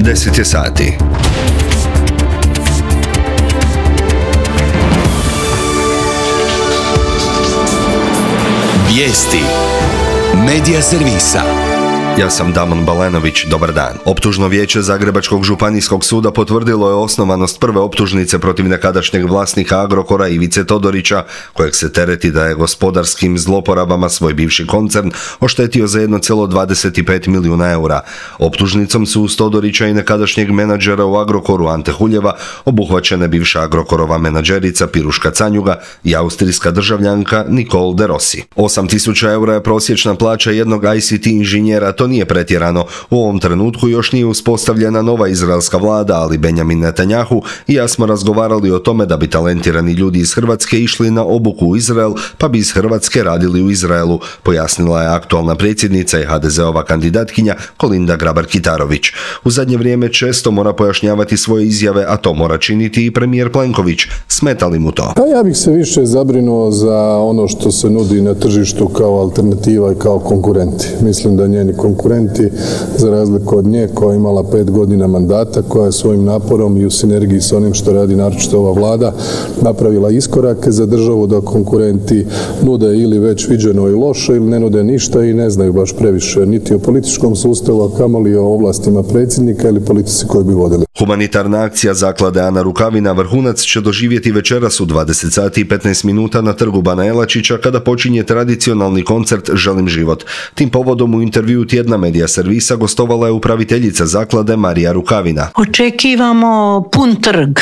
10 je sati. Vijesti Medija servisa. Ja sam Damon Balenović, dobar dan. Optužno vijeće Zagrebačkog županijskog suda potvrdilo je osnovanost prve optužnice protiv nekadašnjeg vlasnika Agrokora Ivice Todorića, kojeg se tereti da je gospodarskim zloporabama svoj bivši koncern oštetio za 1,25 milijuna eura. Optužnicom su uz Todorića i nekadašnjeg menadžera u Agrokoru Ante Huljeva obuhvaćene bivša Agrokorova menadžerica Piruška Canjuga i austrijska državljanka Nicole de Rossi. 8.000 eura je prosječna plaća jednog ICT inženjera. To nije pretjerano. U ovom trenutku još nije uspostavljena nova izraelska vlada, ali Benjamin Netanjahu i ja smo razgovarali o tome da bi talentirani ljudi iz Hrvatske išli na obuku u Izrael, pa bi iz Hrvatske radili u Izraelu, pojasnila je aktualna predsjednica i HDZ-ova kandidatkinja Kolinda Grabar-Kitarović. U zadnje vrijeme često mora pojašnjavati svoje izjave, a to mora činiti i premijer Plenković. Smeta li mu to? Pa ja bih se više zabrinuo za ono što se nudi na tržištu kao alternativa i kao konkurenti. Mislim da njeni konkurenti, za razliku od nje koja je imala 5 godina mandata, koja je svojim naporom i u sinergiji s onim što radi naročito ova vlada napravila iskorake za državu, da konkurenti nude ili već viđeno i loše ili ne nude ništa i ne znaju baš previše niti o političkom sustavu, a kamoli o ovlastima predsjednika ili politici koju bi vodili. Humanitarna akcija Zaklade Ana Rukavina vrhunac će doživjeti večeras u 20 sati i 15 minuta na trgu Bana Jelačića kada počinje tradicionalni koncert Želim život. Tim povodom u intervju Tjedna Medija servisa gostovala je upraviteljica zaklade Marija Rukavina. Očekivamo pun trg.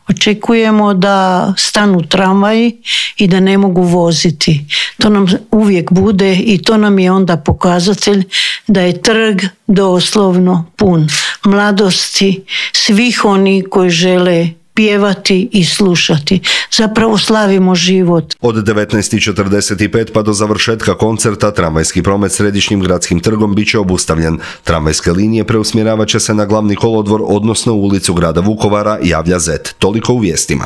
Očekujemo da stanu tramvaji i da ne mogu voziti. To nam uvijek bude i to nam je onda pokazatelj da je trg doslovno pun mladosti, svih oni koji žele pjevati i slušati. Zapravo slavimo život. Od 19.45 pa do završetka koncerta tramvajski promet središnjim gradskim trgom bit će obustavljen. Tramvajske linije preusmjeravat će se na glavni kolodvor, odnosno u ulicu grada Vukovara, javlja ZET. Toliko u vijestima.